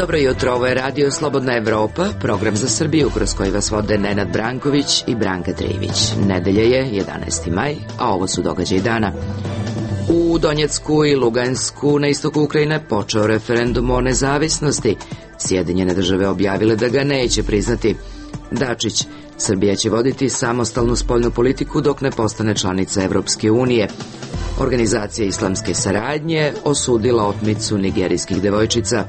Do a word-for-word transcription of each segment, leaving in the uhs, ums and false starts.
Dobro jutro, ovo je Radio Slobodna Evropa, program za Srbiju kroz koji vas vode Nenad Branković i Branka Trivić. Nedelje je jedanaesti maj, a ovo su događaji dana. U Donjecku i Lugansku na istoku Ukrajine počeo referendum o nezavisnosti. Sjedinjene države objavile da ga neće priznati. Dačić, Srbija će voditi samostalnu spoljnu politiku dok ne postane članica Evropske unije. Organizacija islamske saradnje osudila otmicu nigerijskih devojčica.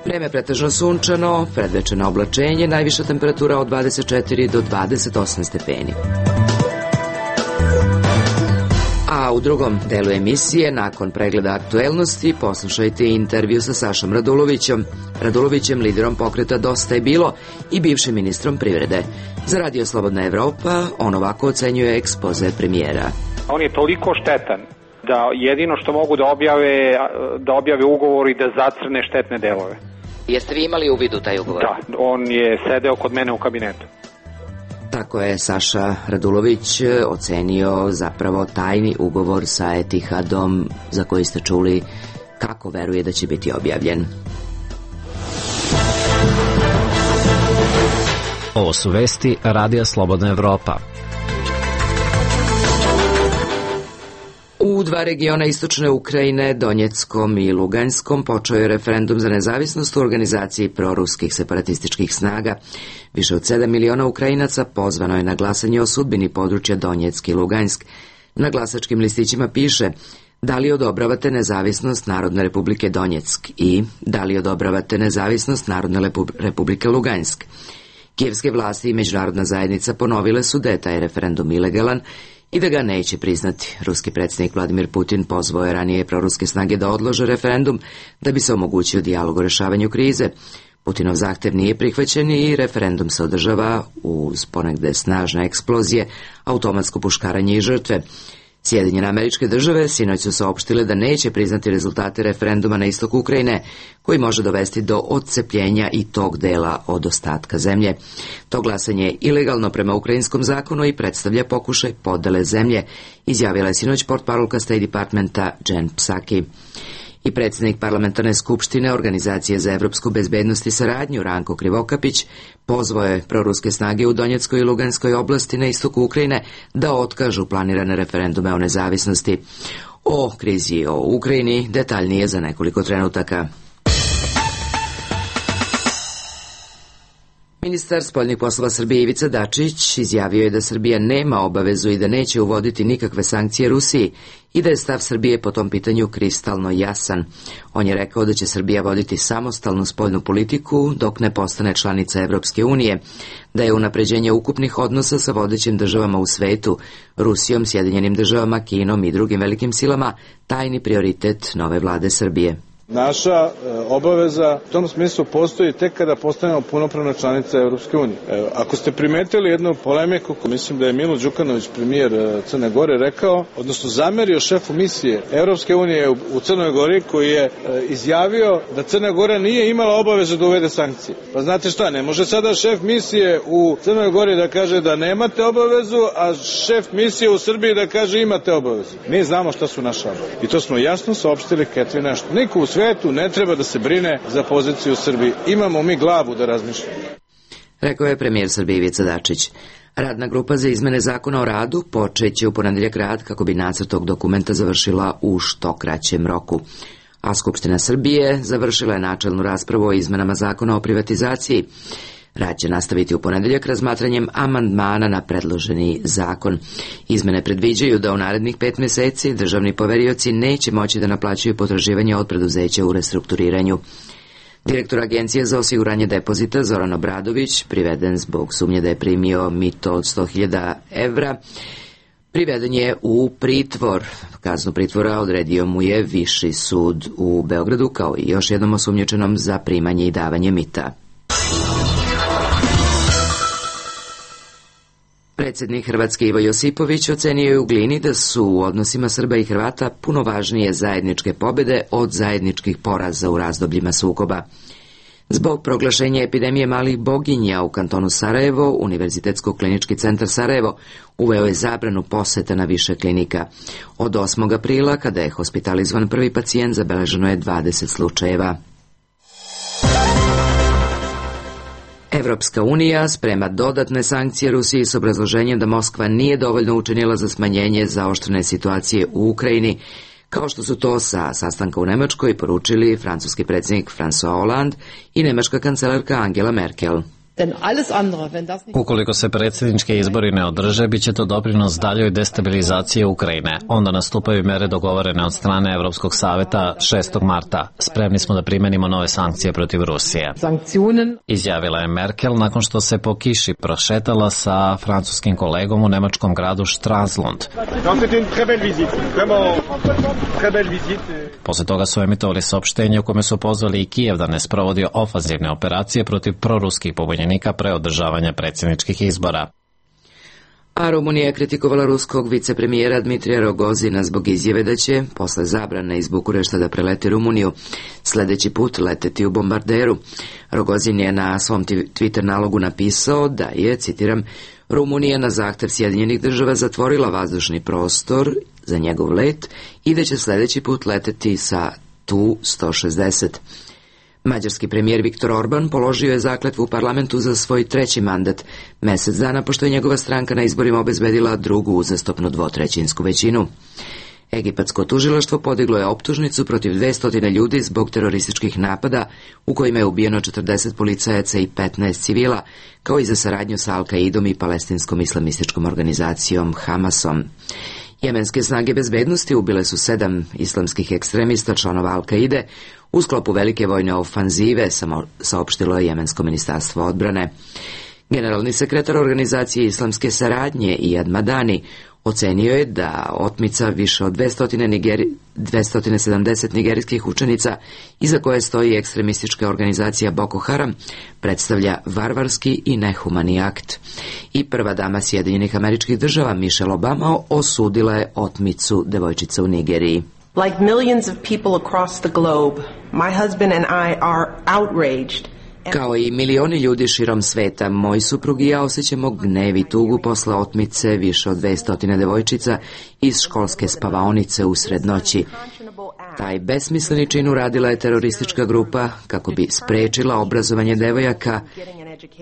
Vreme pretežno sunčano, predvečeno oblačenje, najviša temperatura od dvadeset četiri do dvadeset osam stepeni. A u drugom delu emisije, nakon pregleda aktuelnosti, poslušajte intervju sa Sašom Radulovićem, Radulovićem, liderom pokreta Dosta je bilo i bivšim ministrom privrede. Za Radio Slobodna Evropa on ovako ocenjuje ekspoze premijera. On je toliko štetan da jedino što mogu da objave, da objave ugovor i da zacrne štetne delove. Jeste vi imali uvid u taj ugovor? Da, on je sedeo kod mene u kabinetu. Tako je Saša Radulović ocenio zapravo tajni ugovor sa Etihadom za koji ste čuli kako veruje da će biti objavljen. Ovo su vesti Radija Slobodna Evropa. U dva regiona istočne Ukrajine, Donjeckom i Luganskom, počeo je referendum za nezavisnost u organizaciji proruskih separatističkih snaga. Više od sedam miliona Ukrajinaca pozvano je na glasanje o sudbini područja Donjeck i Lugansk. Na glasačkim listićima piše da li odobravate nezavisnost Narodne republike Donjeck i da li odobravate nezavisnost Narodne republike Lugansk. Kijevske vlasti i međunarodna zajednica ponovile su da je taj referendum ilegalan i da ga neće priznati. Ruski predsjednik Vladimir Putin pozvao je ranije proruske snage da odlože referendum da bi se omogućio dijalog o rešavanju krize. Putinov zahtev nije prihvaćen i referendum se održava uz ponegde snažne eksplozije, automatsko puškaranje i žrtve. Sjedinjene Američke Države sinoć su saopštile da neće priznati rezultate referenduma na istoku Ukrajine, koji može dovesti do odcepljenja i tog dela od ostatka zemlje. To glasanje je ilegalno prema ukrajinskom zakonu i predstavlja pokušaj podele zemlje, izjavila je sinoć portparolka State Departmenta Jen Psaki. I predsjednik parlamentarne skupštine Organizacije za evropsku bezbednost i saradnju Ranko Krivokapić pozvao je proruske snage u Donjeckoj i Luganskoj oblasti na istoku Ukrajine da otkažu planirane referendume o nezavisnosti. O krizi o Ukrajini detaljnije za nekoliko trenutaka. Ministar spoljnih poslova Srbije Ivica Dačić izjavio je da Srbija nema obavezu i da neće uvoditi nikakve sankcije Rusiji i da je stav Srbije po tom pitanju kristalno jasan. On je rekao da će Srbija voditi samostalnu spoljnu politiku dok ne postane članica Evropske unije, da je unapređenje ukupnih odnosa sa vodećim državama u svetu, Rusijom, Sjedinjenim državama, Kinom i drugim velikim silama, tajni prioritet nove vlade Srbije. Naša e, obaveza u tom smislu postoji tek kada postanemo punopravna članica Evropske unije. E, ako ste primetili jednu polemiku, mislim da je Milo Đukanović, premijer e, Crne Gore, rekao, odnosno zamerio šefu misije Evropske unije u, u Crnoj Gori, koji je e, izjavio da Crna Gora nije imala obavezu da uvede sankcije. Pa znate šta, ne može sada šef misije u Crnoj Gori da kaže da nemate obavezu, a šef misije u Srbiji da kaže imate obavezu. Mi znamo šta su naša obaveze. I to smo jasno saopštili Ketvi nešto. Niko u svetu ne treba da se brine za poziciju u Srbiji. Imamo mi glavu da razmišljamo. Rekao je premijer Srbije Ivica Dačić. Radna grupa za izmene zakona o radu počeće u ponedeljak rad kako bi nacrt tog dokumenta završila u što kraćem roku. A Skupština Srbije završila je načelnu raspravu o izmenama zakona o privatizaciji. Rad će nastaviti u ponedeljak razmatranjem amandmana na predloženi zakon. Izmene predviđaju da u narednih pet meseci državni poverioci neće moći da naplaćuju potraživanja od preduzeća u restrukturiranju. Direktor Agencije za osiguranje depozita Zoran Obradović, priveden zbog sumnje da je primio mito od sto hiljada evra, priveden je u pritvor. Kaznu pritvora odredio mu je Viši sud u Beogradu, kao i još jednom osumnjičenom za primanje i davanje mita. Predsjednik Hrvatske Ivo Josipović ocenio je u Glini da su u odnosima Srba i Hrvata puno važnije zajedničke pobjede od zajedničkih poraza u razdobljima sukoba. Zbog proglašenja epidemije malih boginja u kantonu Sarajevo, Univerzitetsko-klinički centar Sarajevo uveo je zabranu poseta na više klinika. Od osmog aprila, kada je hospitalizovan prvi pacijent, zabeleženo je dvadeset slučajeva. Evropska unija sprema dodatne sankcije Rusiji s obrazloženjem da Moskva nije dovoljno učinila za smanjenje zaoštrene situacije u Ukrajini, kao što su to sa sastanka u Nemačkoj poručili francuski predsjednik François Hollande i nemačka kancelarka Angela Merkel. Ukoliko se predsjednički izbori ne održe, bit će to doprinos daljoj destabilizaciji Ukrajine. Onda nastupaju mere dogovorene od strane Evropskog saveta šestog marta. Spremni smo da primenimo nove sankcije protiv Rusije. Izjavila je Merkel nakon što se po kiši prošetala sa francuskim kolegom u nemačkom gradu Stralsund. Posle toga su emitovali saopštenje u kome su pozvali i Kijev da ne sprovodi ofanzivne operacije protiv proruskih pobunjenika pre održavanja predsjedničkih izbora. A Rumunija je kritikovala ruskog vicepremijera Dmitrija Rogozina zbog izjave da će, posle zabrane iz Bukurešta da preleti Rumuniju, sledeći put leteti u bombarderu. Rogozin je na svom Twitter nalogu napisao da je, citiram, Rumunija na zahtev Sjedinjenih država zatvorila vazdušni prostor za njegov let i da će sledeći put leteti sa Tu sto šezdeset. Mađarski premijer Viktor Orban položio je zakletvu u parlamentu za svoj treći mandat, mesec dana pošto je njegova stranka na izborima obezbedila drugu uzastopnu dvotrećinsku većinu. Egipatsko tužilaštvo podiglo je optužnicu protiv dvesta ljudi zbog terorističkih napada u kojima je ubijeno četrdeset policajaca i petnaest civila, kao i za saradnju sa Al-Kaidom i palestinskom islamističkom organizacijom Hamasom. Jemenske snage bezbednosti ubile su sedam islamskih ekstremista članova Al-Kaide u sklopu velike vojne ofanzive, saopštilo je Jemensko ministarstvo odbrane. Generalni sekretar organizacije islamske saradnje Iyad Madani ocenio je da otmica više od dvesta sedamdeset nigerijskih učenica, iza koje stoji ekstremistička organizacija Boko Haram, predstavlja varvarski i nehumani akt. I prva dama Sjedinjenih Američkih Država Michelle Obama osudila je otmicu devojčica u Nigeriji. Like millions of people across the globe, my husband and I are outraged. Kao i milioni ljudi širom sveta, moj suprug i ja osjećamo gnev i tugu posle otmice više od dvesta devojčica iz školske spavaonice usred noći. Taj besmisleni čin uradila je teroristička grupa kako bi sprečila obrazovanje devojaka.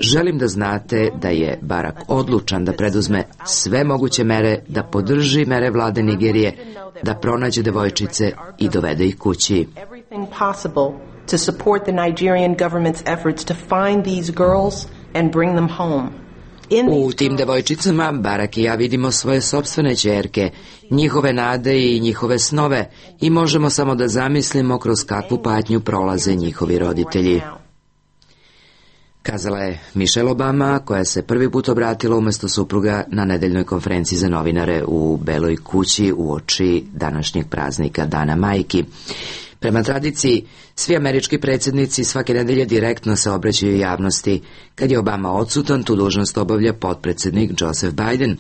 Želim da znate da je Barak odlučan da preduzme sve moguće mere, da podrži mere vlade Nigerije, da pronađe devojčice i dovede ih kući. To support the Nigerian government's efforts to find these girls and bring them home. U tim devojčicama Barak i ja vidimo svoje sopstvene ćerke, njihove nade i njihove snove i možemo samo da zamislimo kroz kakvu patnju prolaze njihovi roditelji. Kazala je Michelle Obama, koja se prvi put obratila umesto supruga na nedeljnoj konferenciji za novinare u Beloj kući uoči današnjeg praznika Dana majki. Prema tradiciji, svi američki predsjednici svake nedelje direktno se obraćaju javnosti. Kad je Obama odsutan, tu dužnost obavlja potpredsjednik Joseph Biden.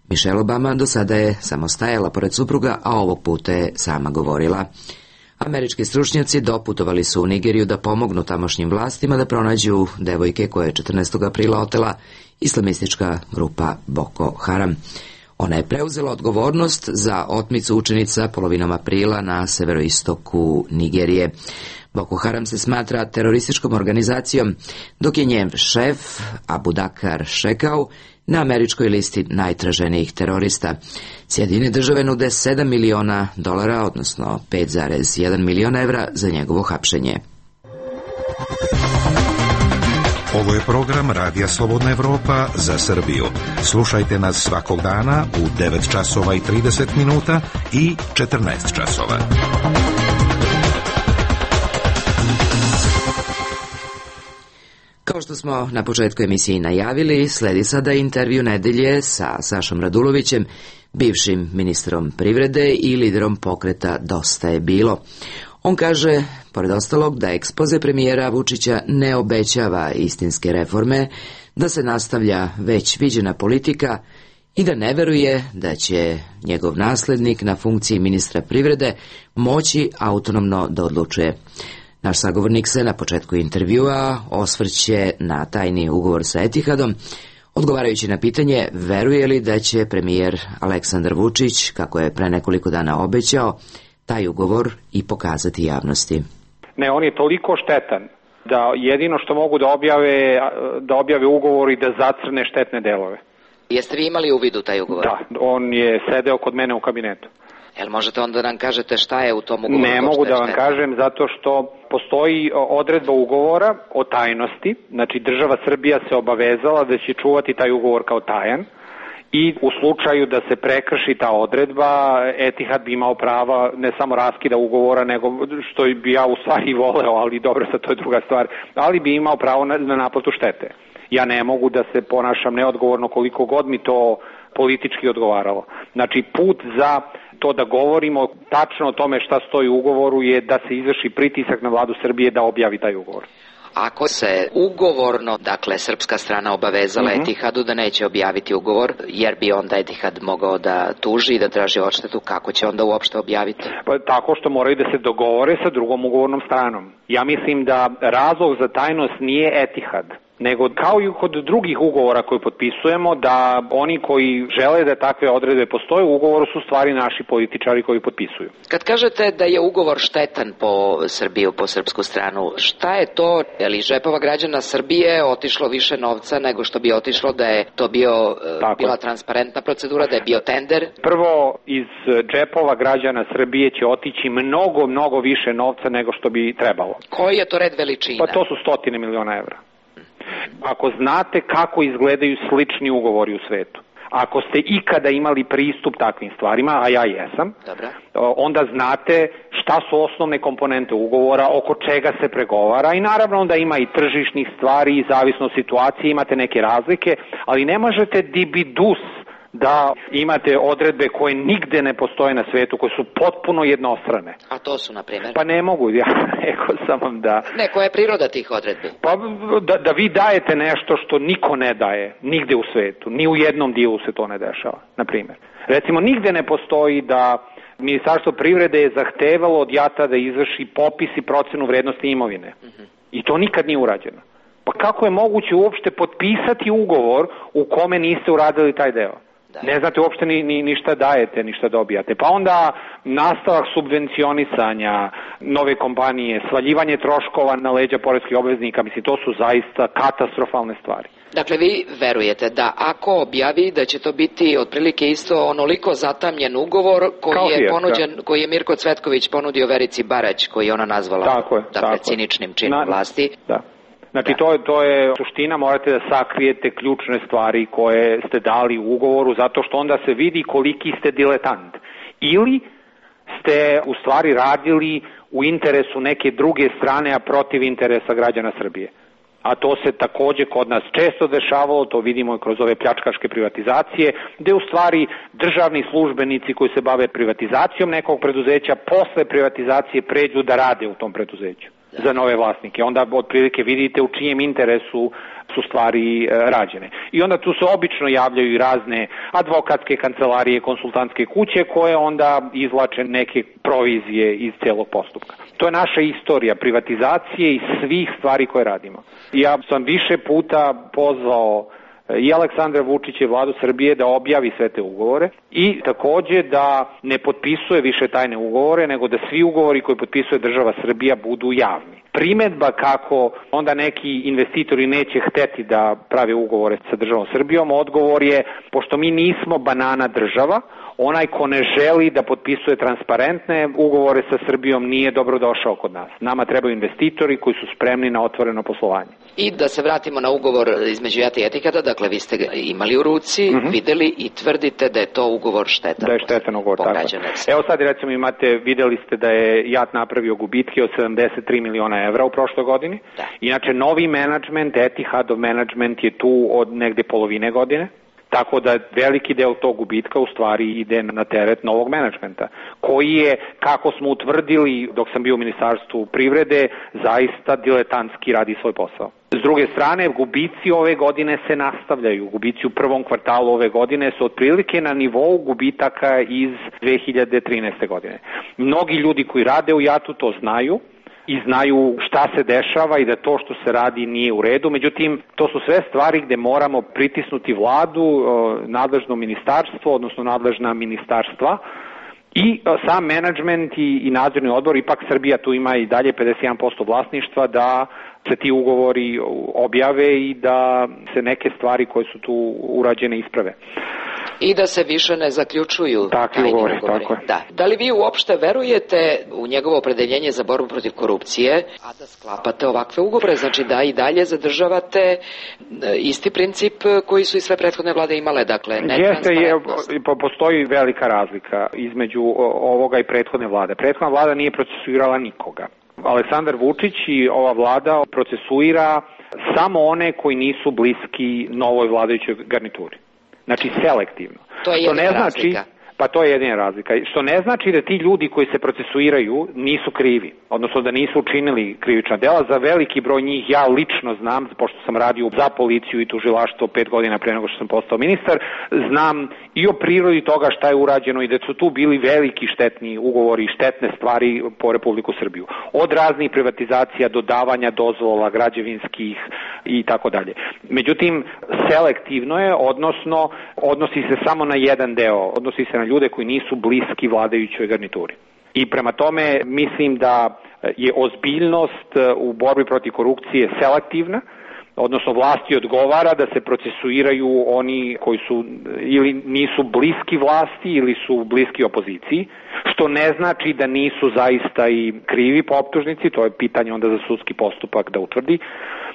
Michelle Obama do sada je samo stajala pored supruga, a ovog puta je sama govorila. Američki stručnjaci doputovali su u Nigeriju da pomognu tamošnjim vlastima da pronađu devojke koje je četrnaestog aprila otela islamistička grupa Boko Haram. Ona je preuzela odgovornost za otmicu učenica polovinom aprila na severoistoku Nigerije. Boko Haram se smatra terorističkom organizacijom, dok je njen šef Abubakar Shekau na američkoj listi najtraženijih terorista. Sjedinjene države nude sedam miliona dolara, odnosno pet zarez jedan miliona evra za njegovo hapšenje. Ovo je program Radija Slobodna Evropa za Srbiju. Slušajte nas svakog dana u devet časova i trideset minuta i četrnaest časova. Kao što smo na početku emisiji najavili, sledi sada intervju nedelje sa Sašom Radulovićem, bivšim ministrom privrede i liderom pokreta Dosta je bilo. On kaže, pored ostalog, da ekspoze premijera Vučića ne obećava istinske reforme, da se nastavlja već viđena politika i da ne veruje da će njegov naslednik na funkciji ministra privrede moći autonomno da odlučuje. Naš sagovornik se na početku intervjua osvrće na tajni ugovor sa Etihadom, odgovarajući na pitanje veruje li da će premijer Aleksandar Vučić, kako je pre nekoliko dana obećao, taj ugovor i pokazati javnosti. Ne, on je toliko štetan da jedino što mogu da objave, da objave ugovor i da zacrne štetne delove. Jeste vi imali uvid u taj ugovor? Da, on je sedeo kod mene u kabinetu. Jel možete onda da nam kažete šta je u tom ugovoru? Ne mogu da vam kažem zato što postoji odredba ugovora o tajnosti, znači država Srbija se obavezala da će čuvati taj ugovor kao tajan i u slučaju da se prekrši ta odredba, Etihad bi imao prava ne samo raskida ugovora, nego što bi ja u stvari voleo, ali dobro, sad to je druga stvar, ali bi imao pravo na, na naplatu štete. Ja ne mogu da se ponašam neodgovorno koliko god mi to politički odgovaralo. Znači, put za to da govorimo tačno o tome šta stoji u ugovoru je da se izvrši pritisak na vladu Srbije da objavi taj ugovor. Ako se ugovorno, dakle, srpska strana obavezala mm-hmm. Etihadu da neće objaviti ugovor, jer bi onda Etihad mogao da tuži i da traži odštetu, kako će onda uopšte objaviti? Pa tako što moraju da se dogovore sa drugom ugovornom stranom. Ja mislim da razlog za tajnost nije Etihad, nego kao i kod drugih ugovora koje potpisujemo, da oni koji žele da takve odredbe postoje u ugovoru su stvari naši političari koji potpisuju. Kad kažete da je ugovor štetan po Srbiju, po srpsku stranu, šta je to? Je li žepova građana Srbije otišlo više novca nego što bi otišlo da je to bio, bila transparentna procedura, da je bio tender? Prvo, iz džepova građana Srbije će otići mnogo, mnogo više novca nego što bi trebalo. Koji je to red veličina? Pa to su stotine miliona evra. Ako znate kako izgledaju slični ugovori u svetu, ako ste ikada imali pristup takvim stvarima, a ja jesam, Dobre. onda znate šta su osnovne komponente ugovora, oko čega se pregovara i naravno onda ima i tržišnih stvari i zavisno od situacije, imate neke razlike, ali ne možete dibidus da imate odredbe koje nigde ne postoje na svetu, koje su potpuno jednostrane. A to su, na primjer? Pa ne mogu, ja rekao sam vam da... Ne, koja je priroda tih odredbi? Pa da, da vi dajete nešto što niko ne daje, nigde u svetu, ni u jednom dijelu se to ne dešava, na primjer. Recimo, nigde ne postoji da Ministarstvo privrede je zahtevalo od JAT-a da izvrši popis i procenu vrednosti imovine. Uh-huh. I to nikad nije urađeno. Pa kako je moguće uopšte potpisati ugovor u kome niste uradili taj deo? Da. Ne znate uopšte ni, ni, ni šta dajete, ni šta dobijate. Pa onda nastavak subvencionisanja nove kompanije, svaljivanje troškova na leđa poreskih obveznika, mislim, to su zaista katastrofalne stvari. Dakle, vi verujete da ako objavi da će to biti otprilike isto onoliko zatamljen ugovor koji je, ponuđen, koji je Mirko Cvetković ponudio Verici Barać, koji je ona nazvala tako je, dakle, tako ciničnim činom Na, vlasti. Da. Znači, to, to je suština, morate da sakrijete ključne stvari koje ste dali u ugovoru, zato što onda se vidi koliki ste diletant. Ili ste u stvari radili u interesu neke druge strane, a protiv interesa građana Srbije. A to se takođe kod nas često dešavalo, to vidimo i kroz ove pljačkaške privatizacije, gde u stvari državni službenici koji se bave privatizacijom nekog preduzeća, posle privatizacije pređu da rade u tom preduzeću za nove vlasnike. Onda otprilike vidite u čijem interesu su stvari e, rađene. I onda tu se obično javljaju i razne advokatske kancelarije, konsultantske kuće koje onda izvlače neke provizije iz celog postupka. To je naša istorija privatizacije i svih stvari koje radimo. Ja sam više puta pozvao i Aleksandra Vučića i vladu Srbije da objavi sve te ugovore i takođe da ne potpisuje više tajne ugovore, nego da svi ugovori koje potpisuje država Srbija budu javni. Primedba kako onda neki investitori neće hteti da prave ugovore sa državom Srbijom, odgovor je, pošto mi nismo banana država, onaj ko ne želi da potpisuje transparentne ugovore sa Srbijom nije dobro došao kod nas. Nama trebaju investitori koji su spremni na otvoreno poslovanje. I da se vratimo na ugovor između JAT-a i Etihada, dakle vi ste ga imali u ruci, mm-hmm. videli i tvrdite da je to ugovor štetan. Da je štetan ugovor, tako. Evo sad recimo imate, videli ste da je JAT napravio gubitke od sedamdeset tri miliona evra u prošloj godini. Da. Inače, novi menadžment, Etihadov menadžment je tu od negde polovine godine. Tako da veliki deo tog gubitka u stvari ide na teret novog menadžmenta, koji je, kako smo utvrdili dok sam bio u Ministarstvu privrede, zaista diletantski radi svoj posao. S druge strane, gubici ove godine se nastavljaju. Gubici u prvom kvartalu ove godine su otprilike na nivou gubitaka iz dve hiljade trinaeste. godine. Mnogi ljudi koji rade u JAT-u to znaju i znaju šta se dešava i da to što se radi nije u redu. Međutim, to su sve stvari gde moramo pritisnuti vladu, nadležno ministarstvo, odnosno nadležna ministarstva i sam menadžment i, i nadzorni odbor, ipak Srbija tu ima i dalje pedeset jedan posto vlasništva, da se ti ugovori objave i da se neke stvari koje su tu urađene isprave. I da se više ne zaključuju takvi ugovori. Tako je. Da. Da li vi uopšte verujete u njegovo opredeljenje za borbu protiv korupcije, a da sklapate ovakve ugovore? Znači da i dalje zadržavate isti princip koji su i sve prethodne vlade imale, dakle netransparentnost. Jeste, je, postoji velika razlika između ovoga i prethodne vlade. Prethodna vlada nije procesuirala nikoga. Aleksandar Vučić i ova vlada procesuira samo one koji nisu bliski novoj vladajućoj garnituri. Znači selektivno. To je jedina ne znači, razlika. Pa to je jedina razlika. Što ne znači da ti ljudi koji se procesuiraju nisu krivi, odnosno da nisu učinili krivična dela. Za veliki broj njih ja lično znam, pošto sam radio za policiju i tužilaštvo pet godina pre nego što sam postao ministar, znam i o prirodi toga šta je urađeno i da su tu bili veliki štetni ugovori i štetne stvari po Republiku Srbiju. Od raznih privatizacija do davanja dozvola građevinskih i tako dalje. Međutim, selektivno je, odnosno odnosi se samo na jedan deo, odnosi se na ljude koji nisu bliski vladajućoj garnituri. I prema tome mislim da je ozbiljnost u borbi protiv korupcije selektivna, odnosno vlasti odgovara da se procesuiraju oni koji su ili nisu bliski vlasti ili su bliski opoziciji, što ne znači da nisu zaista i krivi po optužnici, to je pitanje onda za sudski postupak da utvrdi,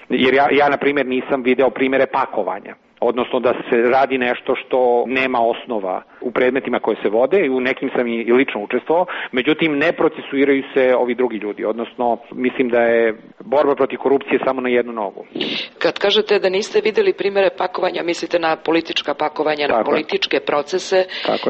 jer ja, ja na primjer nisam video primere pakovanja. Odnosno da se radi nešto što nema osnova u predmetima koje se vode i u nekim sam i lično učestvovao, međutim ne procesuiraju se ovi drugi ljudi, odnosno mislim da je borba protiv korupcije samo na jednu nogu. Kad kažete da niste videli primere pakovanja, mislite na politička pakovanja, Tako na političke je. procese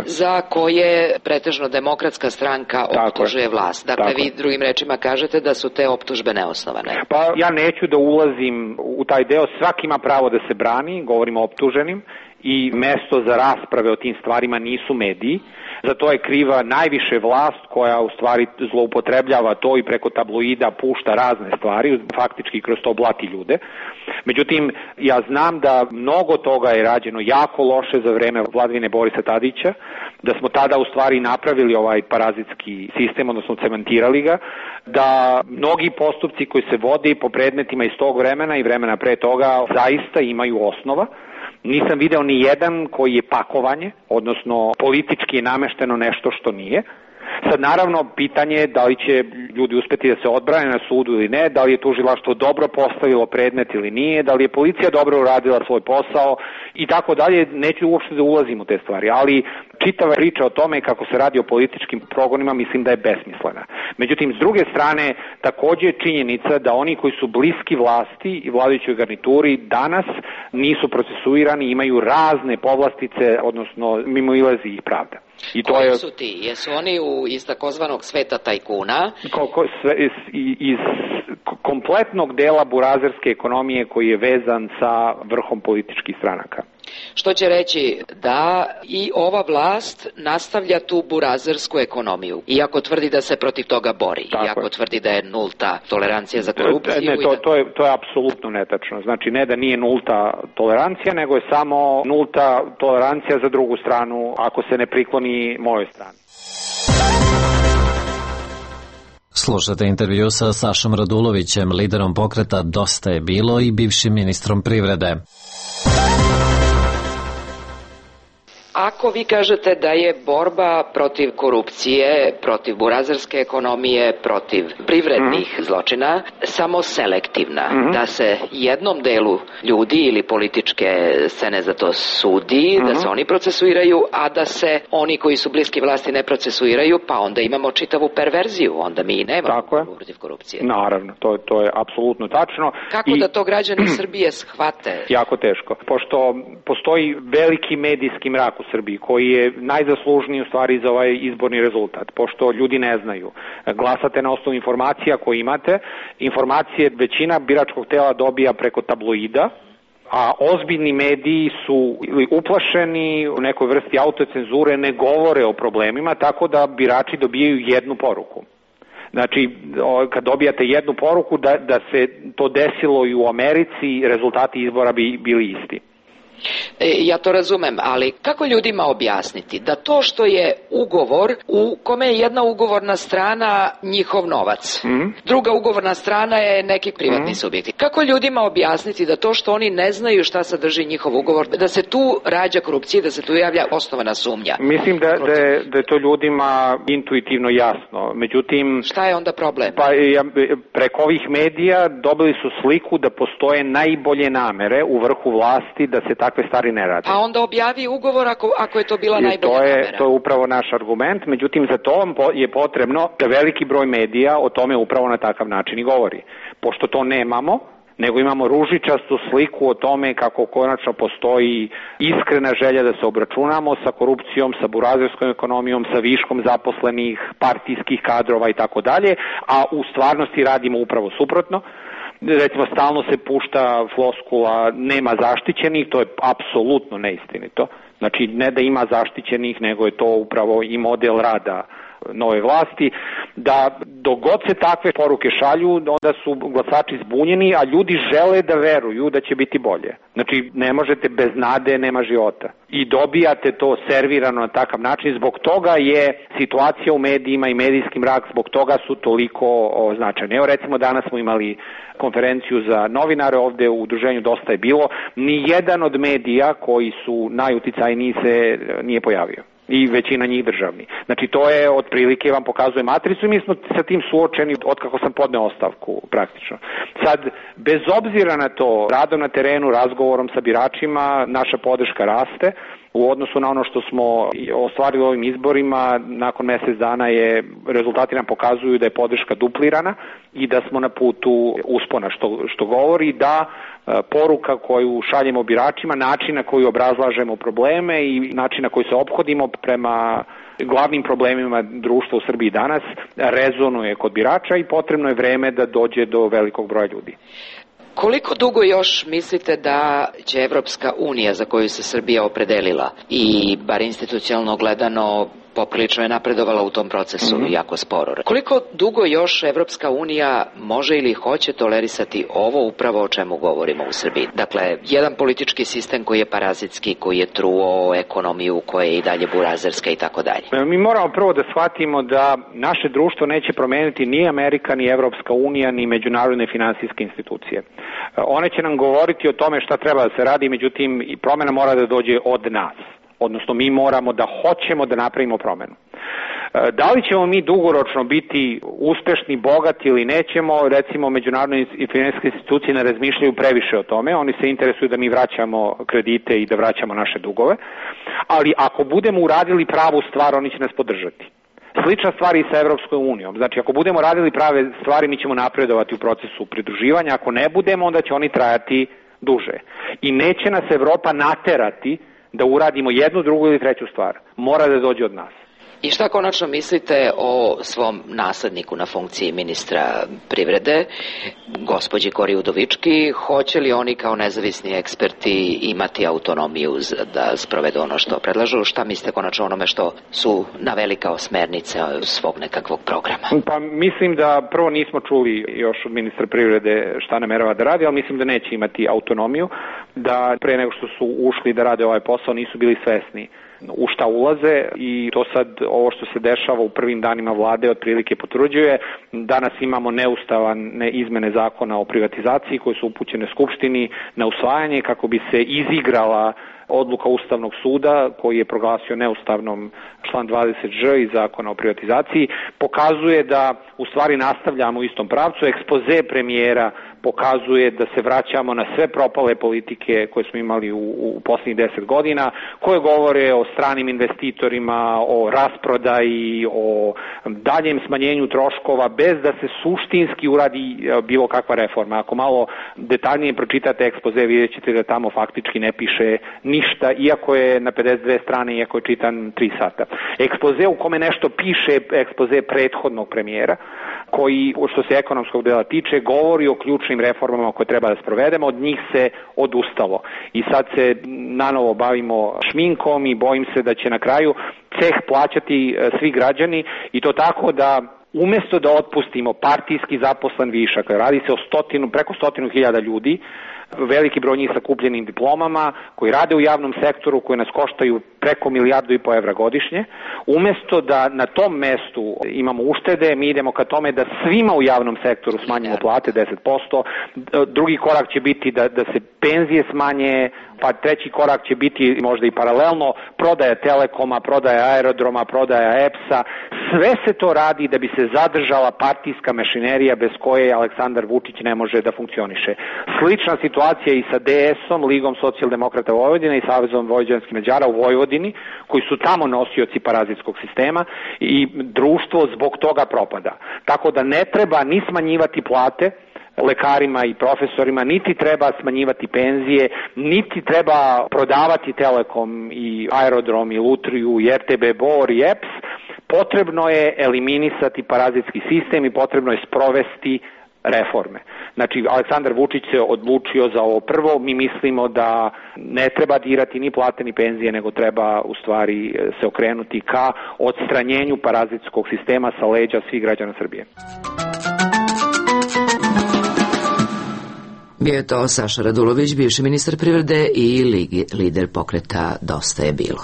za koje pretežno Demokratska stranka optužuje vlast. Dakle, Tako vi drugim rečima kažete da su te optužbe neosnovane. Pa ja neću da ulazim u taj deo, svaki ima pravo da se brani, govorimo optuženim, i mesto za rasprave o tim stvarima nisu mediji. Za to je kriva najviše vlast koja u stvari zloupotrebljava to i preko tabloida pušta razne stvari, faktički kroz to blati ljude. Međutim, ja znam da mnogo toga je rađeno jako loše za vreme vladavine Borisa Tadića, da smo tada u stvari napravili ovaj parazitski sistem, odnosno cementirali ga, da mnogi postupci koji se vode po predmetima iz tog vremena i vremena pre toga zaista imaju osnova. Nisam video ni jedan koji je pakovanje, odnosno politički je namešteno nešto što nije. Sad naravno pitanje je da li će ljudi uspeti da se odbrane na sudu ili ne, da li je tužilaštvo dobro postavilo predmet ili nije, da li je policija dobro uradila svoj posao i tako dalje, neću uopšte da ulazim u te stvari, ali čitava priča o tome kako se radi o političkim progonima mislim da je besmislena. Međutim, s druge strane, takođe je činjenica da oni koji su bliski vlasti i vladajućoj garnituri danas nisu procesuirani, imaju razne povlastice, odnosno mimoilazi ih pravda. I to Koji je, su ti? Jesu oni u, iz takozvanog sveta tajkuna? Ko, ko, sve, iz, iz kompletnog dela burazerske ekonomije koji je vezan sa vrhom političkih stranaka. Što će reći da i ova vlast nastavlja tu burazersku ekonomiju, iako tvrdi da se protiv toga bori, Tako iako je. tvrdi da je nulta tolerancija za korupciju. Ne, to, da... to, je, to je apsolutno netačno. Znači ne da nije nulta tolerancija, nego je samo nulta tolerancija za drugu stranu ako se ne prikloni mojoj strani. Slušate intervju sa Sašom Radulovićem, liderom pokreta Dosta je bilo i bivšim ministrom privrede. Ako vi kažete da je borba protiv korupcije, protiv burazerske ekonomije, protiv privrednih mm-hmm. zločina samo selektivna, mm-hmm. da se jednom delu ljudi ili političke scene za to sudi, mm-hmm. da se oni procesuiraju, a da se oni koji su bliski vlasti ne procesuiraju, pa onda imamo čitavu perverziju, onda mi nemamo borbu protiv korupcije. Naravno, to, to je apsolutno tačno. Kako I... da to građani Srbije shvate? Jako teško, pošto postoji veliki medijski mrak u Srbiji, koji je najzaslužniji u stvari za ovaj izborni rezultat, pošto ljudi ne znaju. Glasate na osnovu informacija koje imate, informacije većina biračkog tela dobija preko tabloida, a ozbiljni mediji su uplašeni u nekoj vrsti autocenzure, ne govore o problemima, tako da birači dobijaju jednu poruku. Znači, kad dobijate jednu poruku da, da se to desilo i u Americi, rezultati izbora bi bili isti. E, ja to razumem, ali kako ljudima objasniti da to što je ugovor u kome je jedna ugovorna strana njihov novac, mm. druga ugovorna strana je neki privatni mm. subjekt. Kako ljudima objasniti da to što oni ne znaju šta sadrži njihov ugovor, da se tu rađa korupcija, da se tu javlja osnovana sumnja? Mislim da, da, je, da je to ljudima intuitivno jasno. Međutim, šta je onda problem? Pa ja, preko ovih medija dobili su sliku da postoje najbolje namere u vrhu vlasti da se takve stvari ne rade. Pa onda objavi ugovor ako, ako je to bila I najbolja to je, namera. To je upravo naš argument, međutim za to je potrebno da veliki broj medija o tome upravo na takav način i govori. Pošto to nemamo, nego imamo ružičastu sliku o tome kako konačno postoji iskrena želja da se obračunamo sa korupcijom, sa burazerskom ekonomijom, sa viškom zaposlenih, partijskih kadrova i tako dalje, a u stvarnosti radimo upravo suprotno. Recimo, stalno se pušta floskula nema zaštićenih, to je apsolutno neistinito. Znači, ne da ima zaštićenih, nego je to upravo i model rada nove vlasti, da dogod se takve poruke šalju, onda su glasači zbunjeni, a ljudi žele da veruju da će biti bolje. Znači, ne možete bez nade, nema života. I dobijate to servirano na takav način, zbog toga je situacija u medijima i medijski mrak, zbog toga su toliko značajne. Evo, recimo, danas smo imali konferenciju za novinare ovde u udruženju Dosta je bilo, ni jedan od medija koji su najuticajniji se nije pojavio. I većina njih državni. Znači, to je otprilike, vam pokazuje matricu i mi smo sa tim suočeni otkako sam podneo ostavku praktično. Sad, bez obzira na to, radom na terenu, razgovorom sa biračima, naša podrška raste. U odnosu na ono što smo ostvarili ovim izborima, nakon mjesec dana je, rezultati nam pokazuju da je podrška duplirana i da smo na putu uspona, što, što govori da poruka koju šaljemo biračima, način na koji obrazlažemo probleme i način na koji se ophodimo prema glavnim problemima društva u Srbiji danas rezonuje kod birača i potrebno je vreme da dođe do velikog broja ljudi. Koliko dugo još mislite da će Evropska unija, za koju se Srbija opredelila i bar institucionalno gledano poprilično je napredovala u tom procesu, mm-hmm. jako sporo. Koliko dugo još Evropska unija može ili hoće tolerisati ovo upravo o čemu govorimo u Srbiji? Dakle, jedan politički sistem koji je parazitski, koji je truo ekonomiju, koja je i dalje burazerska i tako dalje. Mi moramo prvo da shvatimo da naše društvo neće promeniti ni Amerika, ni Evropska unija, ni međunarodne finansijske institucije. One će nam govoriti o tome šta treba da se radi, međutim i promena mora da dođe od nas. Odnosno, mi moramo da hoćemo da napravimo promenu. Da li ćemo mi dugoročno biti uspešni, bogati ili nećemo, recimo međunarodne i finansijske institucije ne razmišljaju previše o tome, oni se interesuju da mi vraćamo kredite i da vraćamo naše dugove, ali ako budemo uradili pravu stvar, oni će nas podržati. Slična stvar i sa Evropskom unijom. Znači, ako budemo radili prave stvari, mi ćemo napredovati u procesu pridruživanja, ako ne budemo, onda će oni trajati duže. I neće nas Evropa naterati da uradimo jednu, drugu ili treću stvar. Mora da dođe od nas. I šta konačno mislite o svom nasledniku na funkciji ministra privrede, gospođi Kori Udovički? Hoće li oni kao nezavisni eksperti imati autonomiju da sprovedu ono što predlažu? Šta mislite konačno onome što su naveli kao smernice svog nekakvog programa? Pa mislim da prvo nismo čuli još od ministra privrede šta namerava da radi, ali mislim da neće imati autonomiju, da pre nego što su ušli da rade ovaj posao nisu bili svesni u šta ulaze i to sad ovo što se dešava u prvim danima vlade otprilike potvrđuje. Danas imamo neustavne izmene zakona o privatizaciji koje su upućene Skupštini na usvajanje kako bi se izigrala odluka Ustavnog suda koji je proglasio neustavnom član dvadeset ž iz zakona o privatizaciji. Pokazuje da u stvari nastavljamo u istom pravcu. Ekspoze premijera pokazuje da se vraćamo na sve propale politike koje smo imali u, u posljednjih deset godina, koje govore o stranim investitorima, o rasprodaji, o daljem smanjenju troškova, bez da se suštinski uradi bilo kakva reforma. Ako malo detaljnije pročitate ekspoze, vidjet ćete da tamo faktički ne piše ništa, iako je na pedeset dve strane, iako je čitan tri sata. Ekspoze u kome nešto piše, ekspoze prethodnog premijera, koji, što se ekonomskog dela tiče, govori o ključnim reformama koje treba da sprovedemo, od njih se odustalo. I sad se nanovo bavimo šminkom i bojim se da će na kraju ceh plaćati svi građani i to tako da umesto da otpustimo partijski zaposlen višak, radi se o stotinu, preko stotinu hiljada ljudi, veliki broj njih sa kupljenim diplomama, koji rade u javnom sektoru, koji nas koštaju preko milijardu i po evra godišnje. Umesto da na tom mestu imamo uštede, mi idemo ka tome da svima u javnom sektoru smanjimo plate deset posto. Drugi korak će biti da, da se penzije smanje, pa treći korak će biti možda i paralelno prodaja Telekoma, prodaja aerodroma, prodaja E P S-a. Sve se to radi da bi se zadržala partijska mašinerija bez koje Aleksandar Vučić ne može da funkcioniše. Slična situacija i sa D S-om, Ligom socijaldemokrata Vojvodine i Savezom vojvođanskih Mađara u Vojvodini, koji su tamo nosioci parazitskog sistema i društvo zbog toga propada. Tako da ne treba ni smanjivati plate lekarima i profesorima, niti treba smanjivati penzije, niti treba prodavati Telekom i Aerodrom i Lutriju i R T B Bor i E P S. Potrebno je eliminisati parazitski sistem i potrebno je sprovesti reforme. Znači, Aleksandar Vučić se odlučio za ovo prvo. Mi mislimo da ne treba dirati ni plate ni penzije, nego treba u stvari se okrenuti ka odstranjenju parazitskog sistema sa leđa svih građana Srbije. Bio je to Saša Radulović, bivši ministar privrede i lider pokreta Dosta je bilo.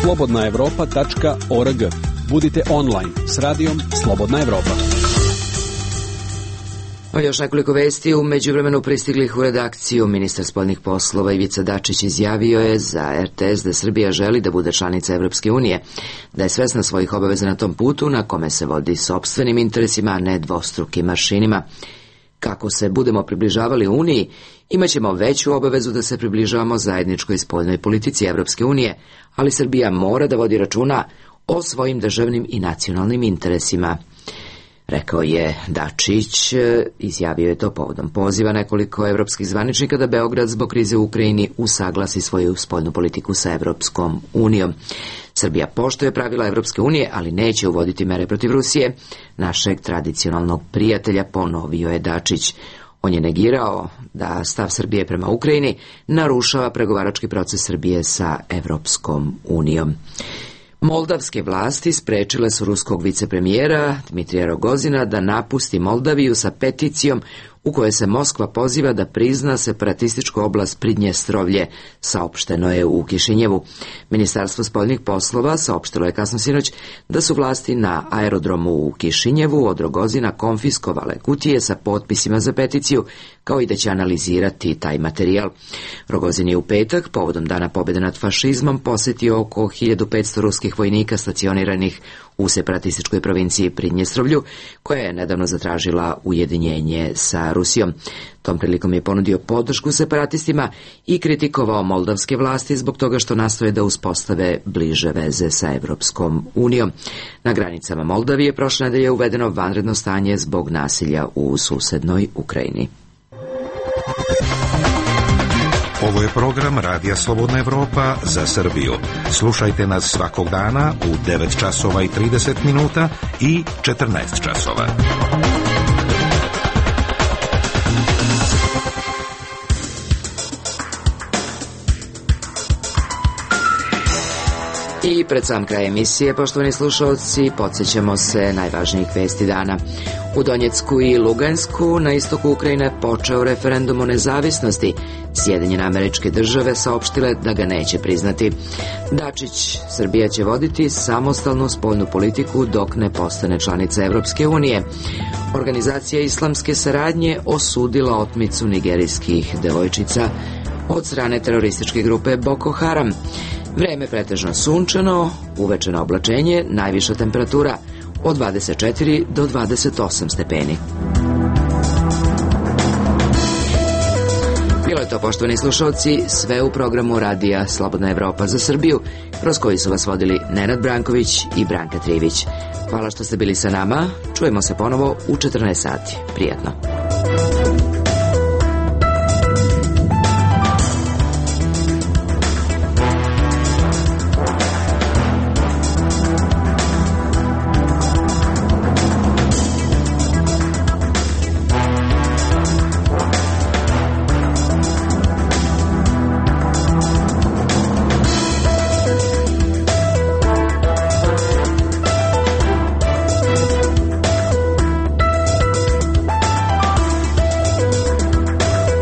slobodna evropa tačka org. Budite online s radijom Slobodna Evropa. O još nekoliko vesti u međuvremenu pristiglih u redakciju. Ministar spoljnih poslova Ivica Dačić izjavio je za R T S da Srbija želi da bude članica Evropske unije, da je svesna svojih obaveza na tom putu na kome se vodi sopstvenim interesima, a ne dvostrukim aršinima. Kako se budemo približavali Uniji, imaćemo veću obavezu da se približavamo zajedničkoj spoljnoj politici Evropske unije, ali Srbija mora da vodi računa o svojim državnim i nacionalnim interesima. Rekao je Dačić, izjavio je to povodom poziva nekoliko evropskih zvaničnika da Beograd zbog krize u Ukrajini usaglasi svoju spoljnu politiku sa Evropskom unijom. Srbija poštuje pravila Evropske unije, ali neće uvoditi mere protiv Rusije, našeg tradicionalnog prijatelja, ponovio je Dačić. On je negirao da stav Srbije prema Ukrajini narušava pregovarački proces Srbije sa Evropskom unijom. Moldavske vlasti sprečile su ruskog vicepremijera Dmitrija Rogozina da napusti Moldaviju sa peticijom u kojoj se Moskva poziva da prizna separatističku oblast Pridnjestrovlje, saopšteno je u Kišinjevu. Ministarstvo spoljnih poslova saopštilo je kasno sinoć da su vlasti na aerodromu u Kišinjevu od Rogozina konfiskovale kutije sa potpisima za peticiju, kao i da će analizirati taj materijal. Rogozin je u petak, povodom Dana pobjede nad fašizmom, posjetio oko hiljadu petsto ruskih vojnika stacioniranih u separatističkoj provinciji Pridnjestrovlju, koja je nedavno zatražila ujedinjenje sa Rusijom. Tom prilikom je ponudio podršku separatistima i kritikovao moldavske vlasti zbog toga što nastoje da uspostave bliže veze sa Evropskom unijom. Na granicama Moldavije prošle nedelje je uvedeno vanredno stanje zbog nasilja u susednoj Ukrajini. Ovo je program Radija Slobodna Evropa za Srbiju. Slušajte nas svakog dana u devet časova i trideset minuta i četrnaest časova. I pred sam kraj emisije, poštovani slušalci, podsjećamo se najvažnijih vesti dana. U Donjecku i Lugansku na istoku Ukrajine počeo referendum o nezavisnosti. Sjedinjene Američke Države saopštile da ga neće priznati. Dačić, Srbija će voditi samostalnu spoljnu politiku dok ne postane članica Evropske unije. Organizacija islamske saradnje osudila otmicu nigerijskih devojčica od strane terorističke grupe Boko Haram. Vreme pretežno sunčano, uveče na oblačenje, najviša temperatura od dvadeset četiri do dvadeset osam stepeni. Bilo je to, poštovani slušalci, sve u programu Radija Slobodna Evropa za Srbiju, kroz koji su vas vodili Nenad Branković i Branka Trivić. Hvala što ste bili sa nama, čujemo se ponovo u četrnaest sati. Prijatno.